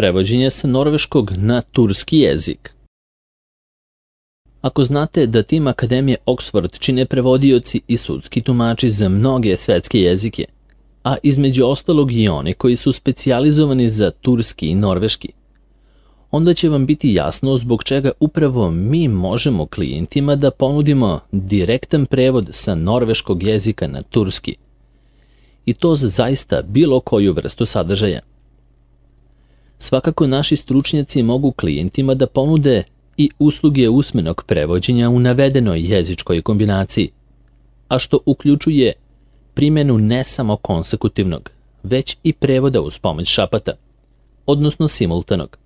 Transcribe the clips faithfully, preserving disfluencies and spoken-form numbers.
prevođenje sa norveškog na turski jezik. Ako znate da tim Akademije Oxford čine prevodioci i sudski tumači za mnoge svetske jezike, a između ostalog i oni koji su specijalizovani za turski i norveški, onda će vam biti jasno zbog čega upravo mi možemo klijentima da ponudimo direktan prevod sa norveškog jezika na turski, i to za zaista bilo koju vrstu sadržaja. Svakako naši stručnjaci mogu klijentima da ponude i usluge usmenog prevođenja u navedenoj jezičkoj kombinaciji, a što uključuje primjenu ne samo konsekutivnog, već i prevoda uz pomoć šapata, odnosno simultanog.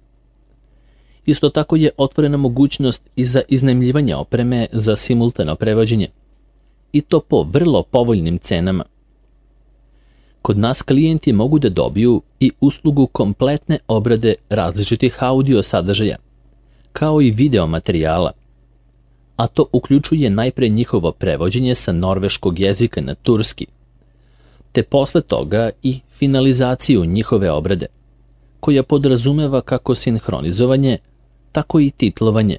Isto tako je otvorena mogućnost i za iznajmljivanje opreme za simultano prevođenje, i to po vrlo povoljnim cenama. Kod nas klijenti mogu da dobiju i uslugu kompletne obrade različitih audio sadržaja, kao i video materijala, a to uključuje najpre njihovo prevođenje sa norveškog jezika na turski, te posle toga i finalizaciju njihove obrade, koja podrazumeva kako sinhronizovanje, tako i titlovanje.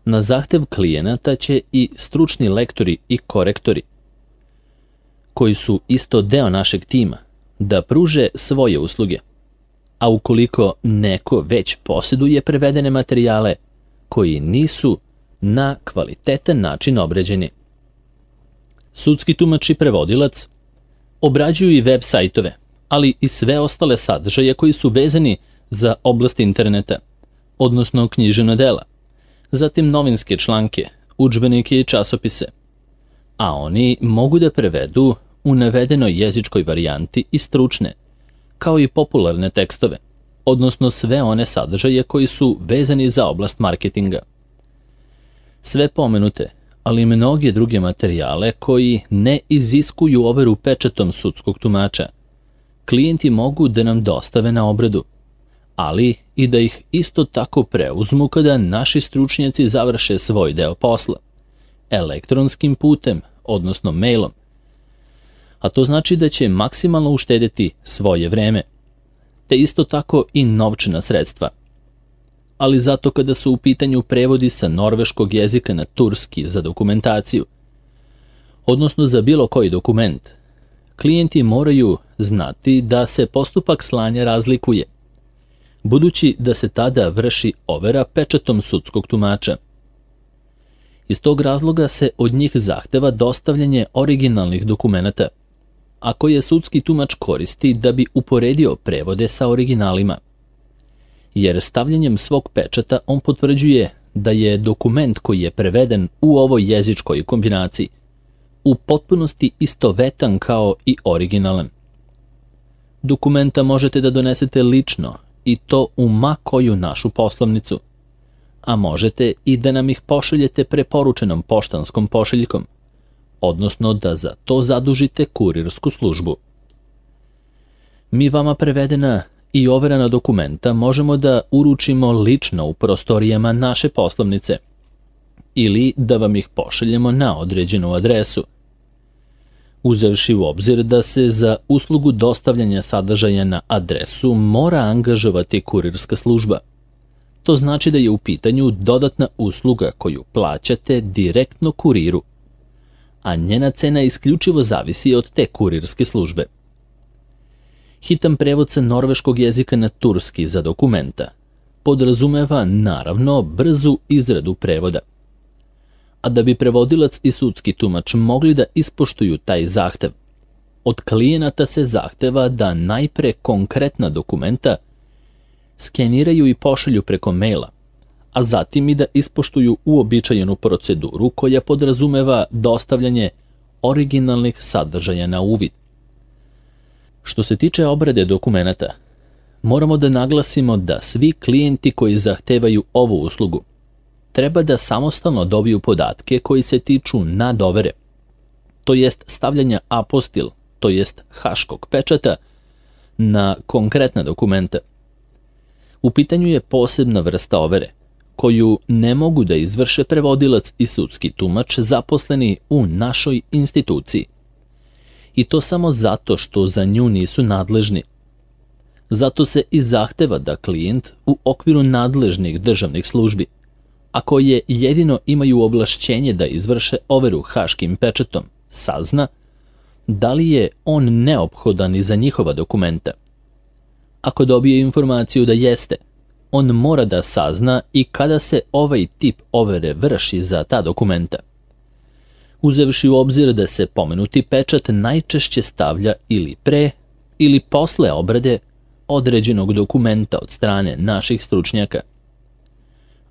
Na zahtev klijenata će i stručni lektori i korektori, koji su isto deo našeg tima, da pruže svoje usluge, a ukoliko neko već posjeduje prevedene materijale koji nisu na kvalitetan način obrađeni. Sudski tumač i prevodilac obrađuju i web sajtove, ali i sve ostale sadržaje koji su vezani za oblast interneta, odnosno književna dela, zatim novinske članke, udžbenike i časopise, a oni mogu da prevedu u navedenoj jezičkoj varijanti i stručne, kao i popularne tekstove, odnosno sve one sadržaje koji su vezani za oblast marketinga. Sve pomenute, ali i mnoge druge materijale koji ne iziskuju overu pečatom sudskog tumača, klijenti mogu da nam dostave na obradu, ali i da ih isto tako preuzmu kada naši stručnjaci završe svoj deo posla, elektronskim putem, odnosno mailom, a to znači da će maksimalno uštedeti svoje vreme, te isto tako i novčana sredstva. Ali zato kada su u pitanju prevodi sa norveškog jezika na turski za dokumentaciju, odnosno za bilo koji dokument, klijenti moraju znati da se postupak slanja razlikuje, budući da se tada vrši overa pečatom sudskog tumača. Iz tog razloga se od njih zahteva dostavljanje originalnih dokumenata, a koje sudski tumač koristi da bi uporedio prevode sa originalima, jer stavljanjem svog pečata on potvrđuje da je dokument koji je preveden u ovoj jezičkoj kombinaciji u potpunosti istovetan kao i originalan. Dokumenta možete da donesete lično i to u ma koju našu poslovnicu, a možete i da nam ih pošaljete preporučenom poštanskom pošiljkom, odnosno da za to zadužite kurirsku službu. Mi vama prevedena i overena dokumenta možemo da uručimo lično u prostorijama naše poslovnice ili da vam ih pošaljemo na određenu adresu. Uzevši u obzir da se za uslugu dostavljanja sadržaja na adresu mora angažovati kurirska služba. To znači da je u pitanju dodatna usluga koju plaćate direktno kuriru, a njena cena isključivo zavisi od te kurirske službe. Hitan prevod sa norveškog jezika na turski za dokumenta podrazumeva naravno brzu izradu prevoda. A da bi prevodilac i sudski tumač mogli da ispoštuju taj zahtev, od klijenata se zahteva da najpre konkretna dokumenta skeniraju i pošalju preko maila, a zatim i da ispoštuju uobičajenu proceduru koja podrazumeva dostavljanje originalnih sadržaja na uvid. Što se tiče obrade dokumenata, moramo da naglasimo da svi klijenti koji zahtevaju ovu uslugu treba da samostalno dobiju podatke koji se tiču nadovere, to jest stavljanja apostil, to jest haškog pečata, na konkretna dokumenta. U pitanju je posebna vrsta overe, koju ne mogu da izvrše prevodilac i sudski tumač zaposleni u našoj instituciji. I to samo zato što za nju nisu nadležni. Zato se i zahteva da klijent u okviru nadležnih državnih službi, a koje jedino imaju ovlašćenje da izvrše overu haškim pečatom, sazna da li je on neophodan i za njihova dokumenta. Ako dobije informaciju da jeste, on mora da sazna i kada se ovaj tip overe vrši za ta dokumenta. Uzevši u obzir da se pomenuti pečat najčešće stavlja ili pre ili posle obrade određenog dokumenta od strane naših stručnjaka.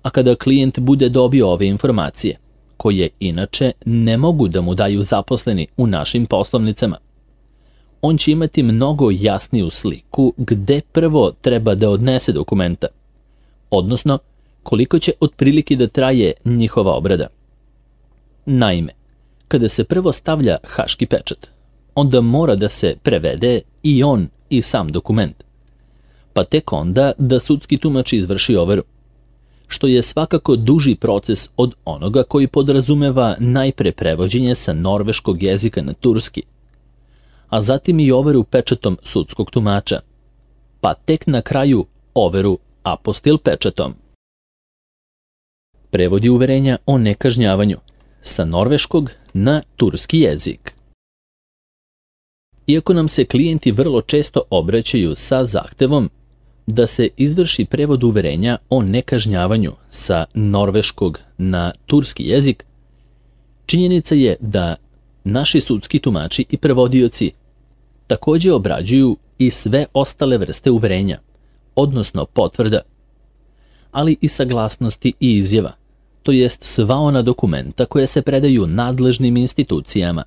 A kada klijent bude dobio ove informacije, koje inače ne mogu da mu daju zaposleni u našim poslovnicama, on će imati mnogo jasniju sliku gde prvo treba da odnese dokumenta, odnosno koliko će otprilike da traje njihova obrada. Naime, kada se prvo stavlja haški pečat, onda mora da se prevede i on i sam dokument, pa tek onda da sudski tumač izvrši overu, što je svakako duži proces od onoga koji podrazumeva najpre prevođenje sa norveškog jezika na turski, a zatim i overu pečatom sudskog tumača, pa tek na kraju overu apostil pečatom. Prevodi uverenja o nekažnjavanju sa norveškog na turski jezik. Iako nam se klijenti vrlo često obraćaju sa zahtevom da se izvrši prevod uverenja o nekažnjavanju sa norveškog na turski jezik, činjenica je da naši sudski tumači i prevodioci takođe obrađuju i sve ostale vrste uverenja, odnosno potvrda, ali i saglasnosti i izjava, to jest sva ona dokumenta koje se predaju nadležnim institucijama,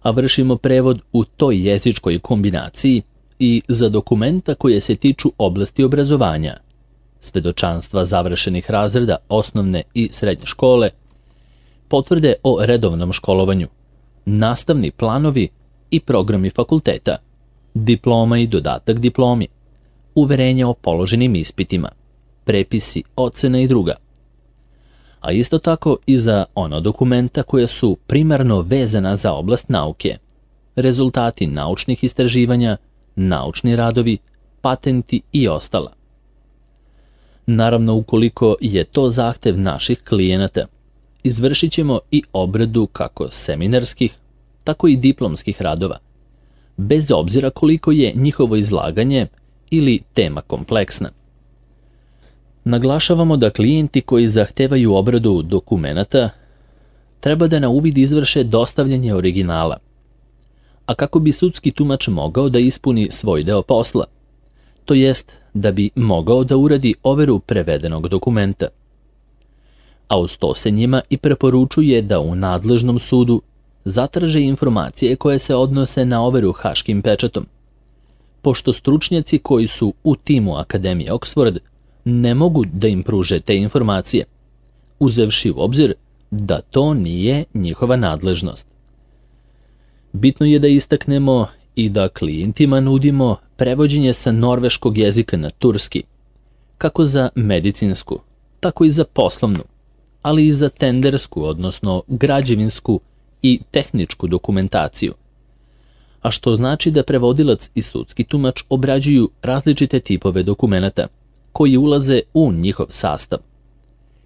a vršimo prevod u toj jezičkoj kombinaciji i za dokumenta koje se tiču oblasti obrazovanja, svedočanstva završenih razreda osnovne i srednje škole, potvrde o redovnom školovanju, nastavni planovi i programi fakulteta, diploma i dodatak diplomi, uverenja o položenim ispitima, prepisi, ocena i druga. A isto tako i za ona dokumenta koja su primarno vezana za oblast nauke, rezultati naučnih istraživanja, naučni radovi, patenti i ostala. Naravno, ukoliko je to zahtev naših klijenata, izvršit ćemo i obradu kako seminarskih, tako i diplomskih radova, bez obzira koliko je njihovo izlaganje ili tema kompleksna. Naglašavamo da klijenti koji zahtevaju obradu dokumenata treba da na uvid izvrše dostavljanje originala, a kako bi sudski tumač mogao da ispuni svoj deo posla, to jest da bi mogao da uradi overu prevedenog dokumenta. A uz to se njima i preporučuje da u nadležnom sudu zatraže informacije koje se odnose na overu haškim pečatom, pošto stručnjaci koji su u timu Akademije Oxford ne mogu da im pruže te informacije, uzevši u obzir da to nije njihova nadležnost. Bitno je da istaknemo i da klijentima nudimo prevođenje sa norveškog jezika na turski, kako za medicinsku, tako i za poslovnu, ali i za tendersku, odnosno građevinsku i tehničku dokumentaciju, a što znači da prevodilac i sudski tumač obrađuju različite tipove dokumenata koji ulaze u njihov sastav.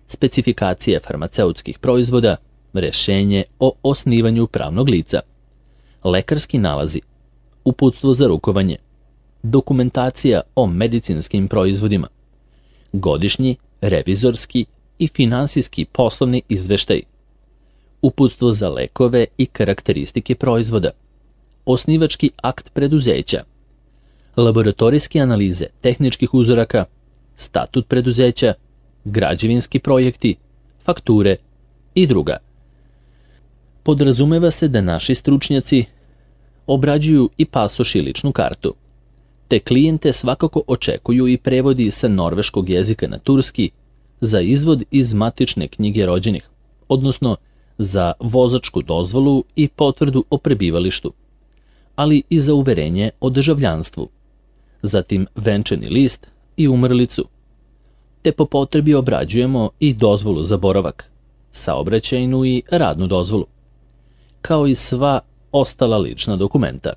Specifikacije farmaceutskih proizvoda, rešenje o osnivanju pravnog lica, lekarski nalazi, uputstvo za rukovanje, dokumentacija o medicinskim proizvodima, godišnji, revizorski i finansijski poslovni izveštaj, uputstvo za lekove i karakteristike proizvoda, osnivački akt preduzeća, laboratorijske analize tehničkih uzoraka, statut preduzeća, građevinski projekti, fakture i druga. Podrazumeva se da naši stručnjaci obrađuju i pasoš i ličnu kartu, te klijente svakako očekuju i prevodi sa norveškog jezika na turski za izvod iz matične knjige rođenih, odnosno za vozačku dozvolu i potvrdu o prebivalištu, ali i za uverenje o državljanstvu, zatim venčani list i umrlicu, te po potrebi obrađujemo i dozvolu za boravak, saobraćajnu i radnu dozvolu, kao i sva ostala lična dokumenta.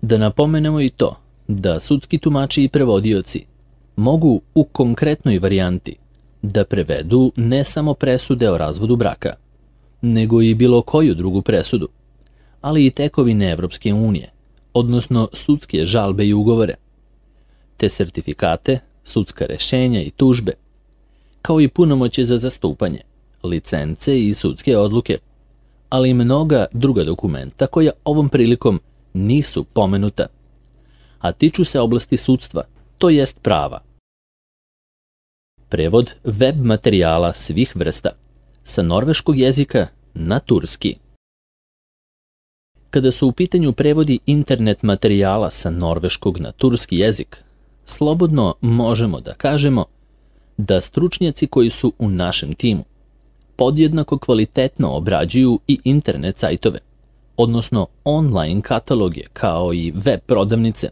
Da napomenemo i to da sudski tumači i prevodioci mogu u konkretnoj varijanti da prevedu ne samo presude o razvodu braka, nego i bilo koju drugu presudu, ali i tekovine Evropske unije, odnosno sudske žalbe i ugovore, te sertifikate, sudska rešenja i tužbe, kao i punomoće za zastupanje, licence i sudske odluke, ali i mnoga druga dokumenta koja ovom prilikom nisu pomenuta, a tiču se oblasti sudstva, to jest prava. Prevod web materijala svih vrsta sa norveškog jezika na turski. Kada su u pitanju prevodi internet materijala sa norveškog na turski jezik, slobodno možemo da kažemo da stručnjaci koji su u našem timu podjednako kvalitetno obrađuju i internet sajtove, odnosno online kataloge kao i web prodavnice,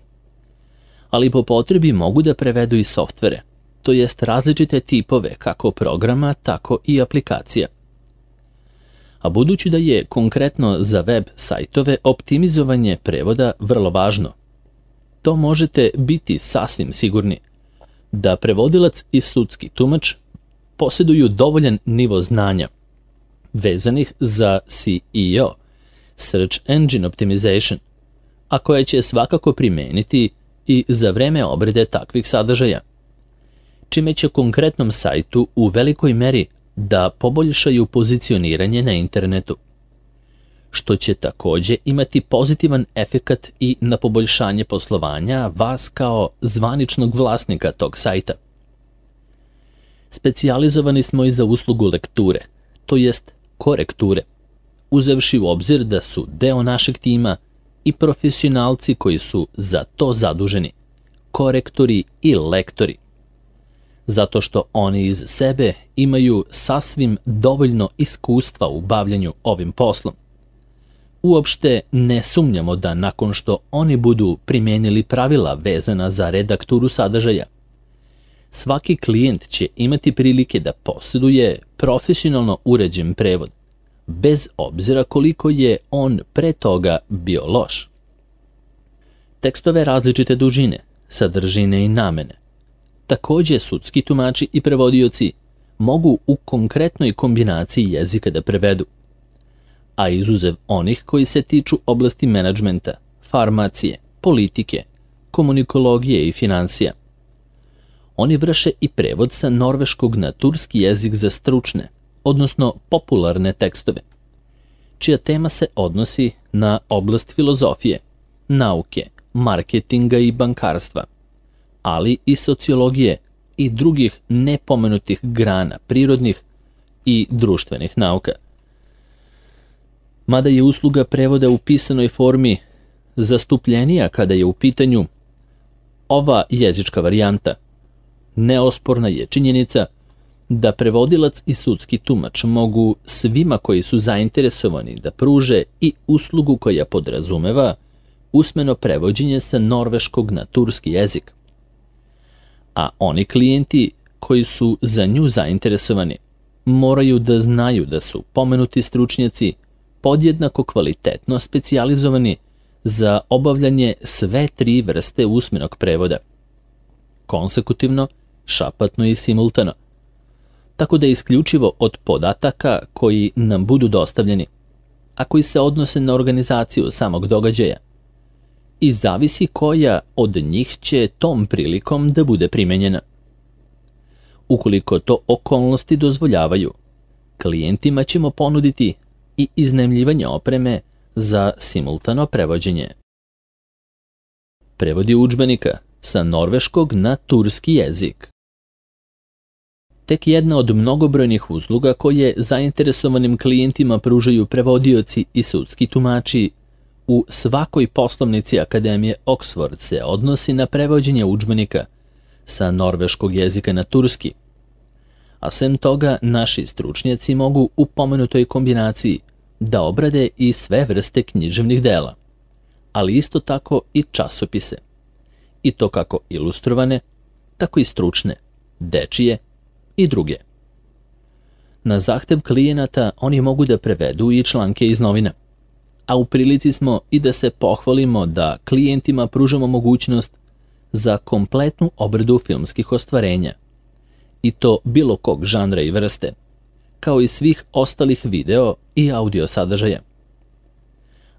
ali po potrebi mogu da prevedu i softvere, to jest različite tipove kako programa, tako i aplikacija. A budući da je konkretno za web sajtove optimizovanje prevoda vrlo važno, to možete biti sasvim sigurni da prevodilac i sudski tumač posjeduju dovoljan nivo znanja vezanih za S E O, Search Engine Optimization, a koje će svakako primeniti i za vreme obrade takvih sadržaja, čime će konkretnom sajtu u velikoj meri da poboljšaju pozicioniranje na internetu, što će takođe imati pozitivan efekat i na poboljšanje poslovanja vas kao zvaničnog vlasnika tog sajta. Specijalizovani smo i za uslugu lekture, to jest korekture, uzevši u obzir da su deo našeg tima i profesionalci koji su za to zaduženi, korektori i lektori, zato što oni iz sebe imaju sasvim dovoljno iskustva u bavljanju ovim poslom. Uopšte ne sumnjamo da nakon što oni budu primijenili pravila vezana za redakturu sadržaja, svaki klijent će imati prilike da posjeduje profesionalno uređen prevod, bez obzira koliko je on pre toga bio loš. Tekstove različite dužine, sadržine i namene takođe sudski tumači i prevodioci mogu u konkretnoj kombinaciji jezika da prevedu, a izuzev onih koji se tiču oblasti menadžmenta, farmacije, politike, komunikologije i finansija. Oni vrše i prevod sa norveškog na turski jezik za stručne, odnosno popularne tekstove, čija tema se odnosi na oblast filozofije, nauke, marketinga i bankarstva, ali i sociologije i drugih nepomenutih grana prirodnih i društvenih nauka. Mada je usluga prevoda u pisanoj formi zastupljenija kada je u pitanju ova jezička varijanta, neosporna je činjenica da prevodilac i sudski tumač mogu svima koji su zainteresovani da pruže i uslugu koja podrazumeva usmeno prevođenje sa norveškog na turski jezik. A oni klijenti koji su za nju zainteresovani moraju da znaju da su pomenuti stručnjaci podjednako kvalitetno specijalizovani za obavljanje sve tri vrste usmenog prevoda, konsekutivno, šapatno i simultano, tako da isključivo od podataka koji nam budu dostavljeni, a koji se odnose na organizaciju samog događaja, i zavisi koja od njih će tom prilikom da bude primenjena. Ukoliko to okolnosti dozvoljavaju, klijentima ćemo ponuditi i iznajmljivanje opreme za simultano prevođenje. Prevodi udžbenika sa norveškog na turski jezik. Tek jedna od mnogobrojnih usluga koje zainteresovanim klijentima pružaju prevodioci i sudski tumači u svakoj poslovnici Akademije Oxford se odnosi na prevođenje udžbenika sa norveškog jezika na turski, a sem toga naši stručnjaci mogu u pomenutoj kombinaciji da obrade i sve vrste književnih dela, ali isto tako i časopise, i to kako ilustrovane, tako i stručne, dečije i druge. Na zahtev klijenata oni mogu da prevedu i članke iz novina, a u prilici smo i da se pohvalimo da klijentima pružamo mogućnost za kompletnu obradu filmskih ostvarenja, i to bilo kog žanra i vrste, kao i svih ostalih video i audio sadržaja.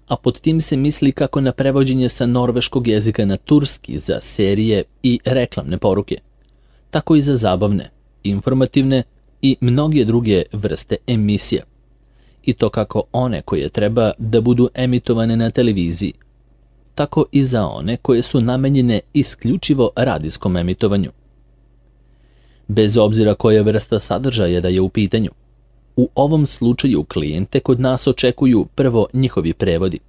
A pod tim se misli kako na prevođenje sa norveškog jezika na turski za serije i reklamne poruke, tako i za zabavne, informativne i mnoge druge vrste emisija, i to kako one koje treba da budu emitovane na televiziji, tako i za one koje su namenjene isključivo radijskom emitovanju. Bez obzira koja vrsta sadržaja da je u pitanju, u ovom slučaju klijente kod nas očekuju prvo njihovi prevodi,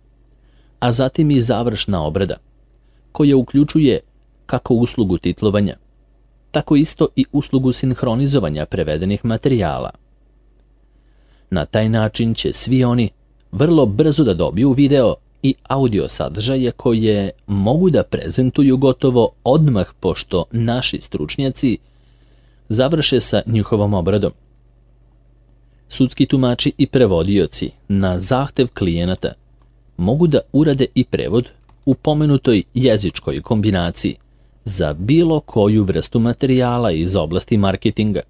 a zatim i završna obrada, koja uključuje kako uslugu titlovanja, tako isto i uslugu sinhronizovanja prevedenih materijala. Na taj način će svi oni vrlo brzo da dobiju video i audio sadržaje koje mogu da prezentuju gotovo odmah pošto naši stručnjaci završe sa njihovom obradom. Sudski tumači i prevodioci na zahtev klijenata mogu da urade i prevod u pomenutoj jezičkoj kombinaciji za bilo koju vrstu materijala iz oblasti marketinga,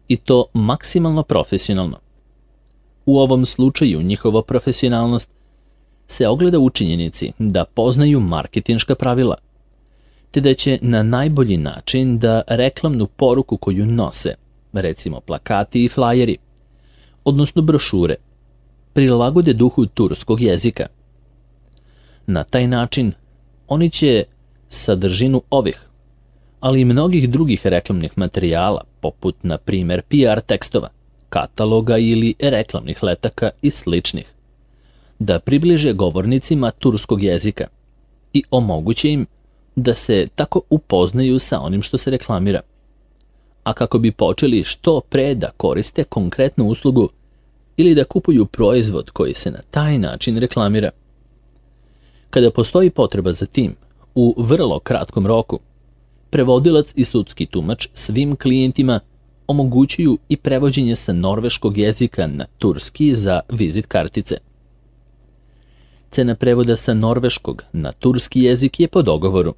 i to maksimalno profesionalno. U ovom slučaju njihova profesionalnost se ogleda u činjenici da poznaju marketinška pravila, te da će na najbolji način da reklamnu poruku koju nose, recimo plakati i flajeri, odnosno brošure, prilagode duhu turskog jezika. Na taj način oni će sadržinu ovih, ali i mnogih drugih reklamnih materijala, poput na primjer P R tekstova, kataloga ili reklamnih letaka i sličnih, da približe govornicima turskog jezika i omoguće im da se tako upoznaju sa onim što se reklamira, a kako bi počeli što pre da koriste konkretnu uslugu ili da kupuju proizvod koji se na taj način reklamira. Kada postoji potreba za tim, u vrlo kratkom roku, prevodilac i sudski tumač svim klijentima omogućuju i prevođenje sa norveškog jezika na turski za vizit kartice. Cena prevoda sa norveškog na turski jezik je po dogovoru.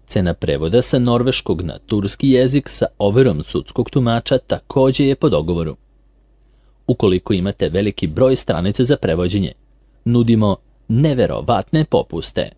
Cena prevoda sa norveškog na turski jezik sa overom sudskog tumača takođe je po dogovoru. Ukoliko imate veliki broj stranica za prevođenje, nudimo neverovatne popuste.